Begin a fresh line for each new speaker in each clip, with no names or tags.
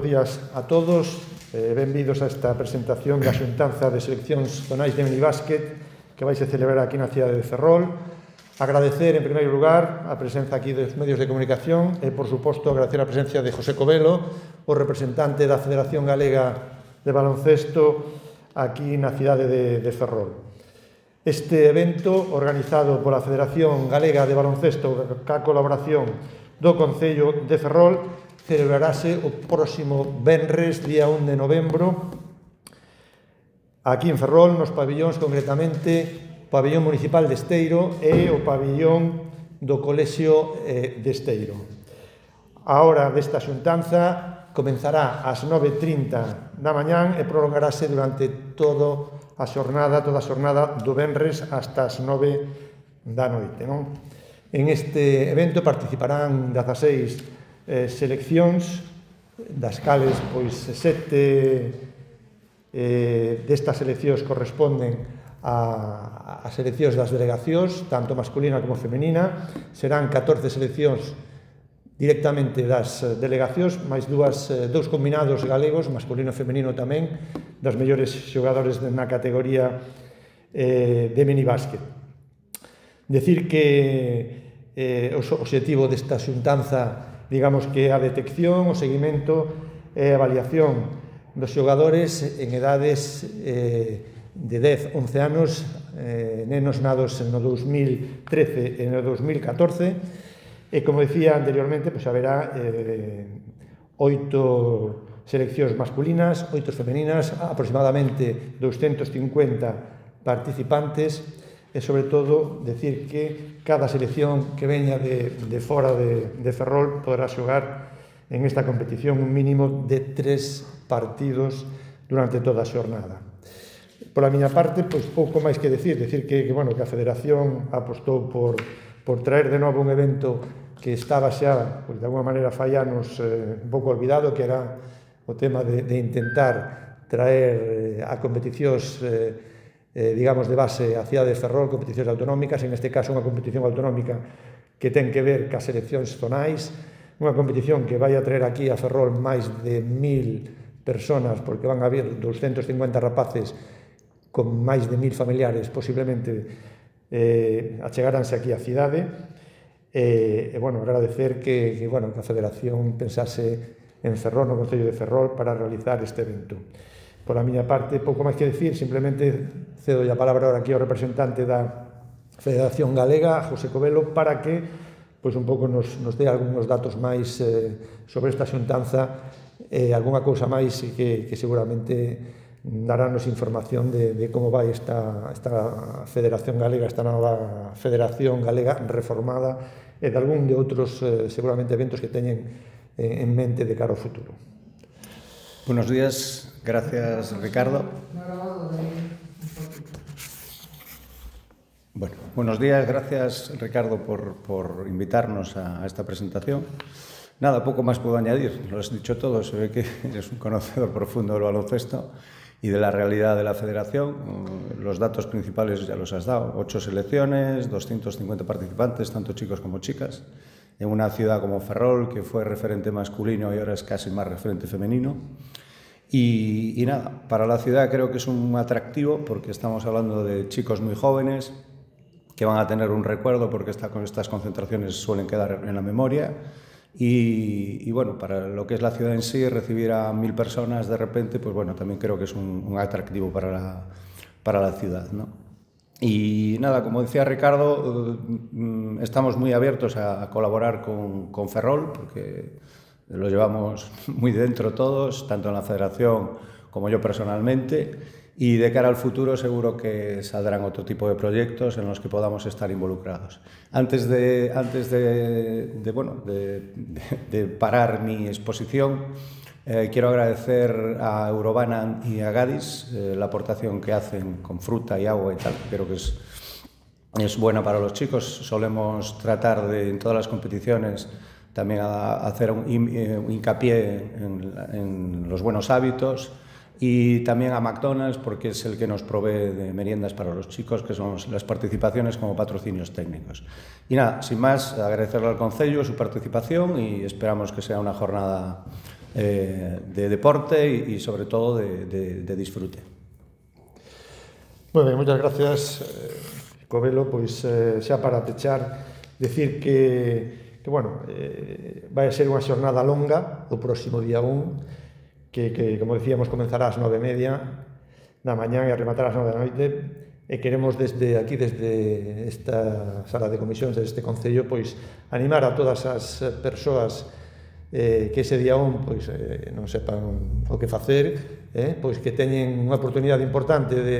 bos días a todos. Benvidos a esta presentación da xuntanza de seleccións zonais de minibásquet que vai se celebrar aquí na cidade de Ferrol. Agradecer, en primeiro lugar, a presenza aquí dos medios de comunicación e, por suposto, agradecer a presencia de José Covelo, o representante da Federación Galega de Baloncesto aquí na cidade de Ferrol. Este evento, organizado pola Federación Galega de Baloncesto ca colaboración do Concello de Ferrol, celebrarase o próximo venres, día 1 de novembro, aquí en Ferrol, nos pabillóns, concretamente, o pabillón municipal de Esteiro e o pabillón do Colexio de Esteiro. A hora desta xuntanza comenzará ás 9:30 da mañán e prolongarase durante toda a xornada do venres hasta as 9 da noite. En este evento participarán 16 seleccións, das cales 7 destas seleccións corresponden a seleccións das delegacións, tanto masculina como femenina. Serán 14 seleccións directamente das delegacións, máis dous combinados galegos, masculino e femenino tamén, das mellores xogadores na categoría de minibásquet. Decir que o obxectivo desta xuntanza, digamos que a detección, o seguimento e a avaliación dos xogadores en edades de 10-11 anos, nenos nados no 2013 e no 2014, e, como decía anteriormente, haberá 8 seleccións masculinas, 8 femeninas, aproximadamente 250 participantes, e, sobre todo, decir que cada selección que veña de fora de Ferrol poderá xogar en esta competición un mínimo de 3 partidos durante toda a xornada. Pola miña parte, pouco máis que decir que a Federación apostou por traer de novo un evento que estaba xa, de alguma maneira, fai anos un pouco olvidado, que era o tema de intentar traer a competicións digamos, de base a cidade de Ferrol, competicións autonómicas, en este caso unha competición autonómica que ten que ver cas seleccións zonais, unha competición que vai a traer aquí a Ferrol máis de 1000 personas, porque van a haber 250 rapaces con máis de 1000 familiares, posiblemente achegaranse aquí á cidade, e, agradecer que a Federación pensase en Ferrol, no Concello de Ferrol, para realizar este evento. Por a miña parte, pouco máis que decir, simplemente cedo a palabra ahora aquí ao representante da Federación Galega, José Covelo, para que un pouco nos dé algúns datos máis sobre esta xuntanza e algunha cousa máis que seguramente darános información de como vai esta Federación Galega, esta nova Federación Galega reformada e de algún de outros seguramente eventos que teñen en mente de cara ao futuro.
Buenos días. Gracias, Ricardo. Bueno, buenos días, gracias, Ricardo, por invitarnos a esta presentación. Nada, poco más puedo añadir, lo has dicho todo, se ve que eres un conocedor profundo del baloncesto y de la realidad de la federación. Los datos principales ya los has dado, 8 selecciones, 250 participantes, tanto chicos como chicas, en una ciudad como Ferrol, que fue referente masculino y ahora es casi más referente femenino. Y nada, para la ciudad creo que es un atractivo porque estamos hablando de chicos muy jóvenes que van a tener un recuerdo porque estas concentraciones suelen quedar en la memoria y para lo que es la ciudad en sí, recibir a 1000 personas de repente, también creo que es un atractivo para la ciudad, ¿no? Y nada, como decía Ricardo, estamos muy abiertos a colaborar con Ferrol porque lo llevamos muy dentro todos, tanto en la federación como yo personalmente, y de cara al futuro seguro que saldrán otro tipo de proyectos en los que podamos estar involucrados. Antes de parar mi exposición, quiero agradecer a Eurobanan y a Gadis la aportación que hacen con fruta y agua y tal. Creo que es buena para los chicos. Solemos tratar en todas las competiciones también a hacer un hincapié en los buenos hábitos, y también a McDonald's porque es el que nos provee de meriendas para los chicos, que son las participaciones como patrocinios técnicos. Y nada, sin más, agradecerle al Concello su participación y esperamos que sea una jornada de deporte e sobre todo de disfrute.
Moi ben, moitas gracias, Covelo. Pois xa para pechar, decir que bueno, vai ser unha xornada longa o próximo día 1, que como decíamos, comenzará ás 9:30 da mañá e a rematar ás 9 da noite, e queremos desde aquí, desde esta sala de comisións deste Concello, pois animar a todas as persoas que ese día 1 pois, non sepan o que facer, pois que teñen unha oportunidade importante de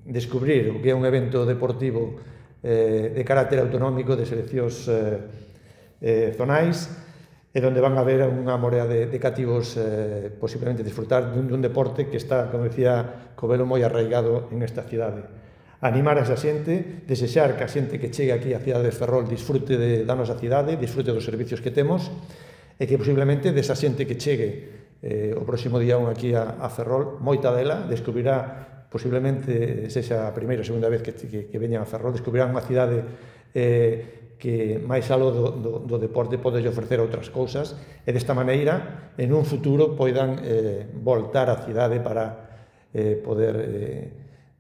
descubrir o que é un evento deportivo de carácter autonómico, de seleccións zonais, e onde van a ver unha morea de cativos posiblemente disfrutar dun deporte que está, como decía Covelo, moi arraigado en esta cidade. Animar a esa xente, desexar que a xente que chegue aquí á cidade de Ferrol disfrute da nosa cidade, disfrute dos servicios que temos, e que posiblemente desa xente que chegue o próximo día 1 aquí a Ferrol, moita dela descubrirá, posiblemente sexa a primeira ou segunda vez que veñan a Ferrol, descubrirán unha cidade que máis aló do deporte pode ofrecer outras cousas, e desta maneira en un futuro poidan voltar á cidade para poder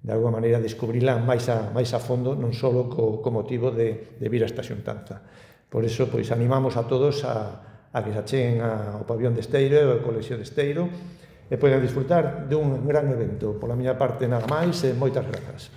de alguma maneira descubrila máis a fondo, non só co motivo de vir a esta xuntanza. Por iso, pois, animamos a todos a que se acheguen ao pabillón de Esteiro e ao colexio de Esteiro e poidan disfrutar dun gran evento. Pola miña parte, nada máis, e moitas grazas.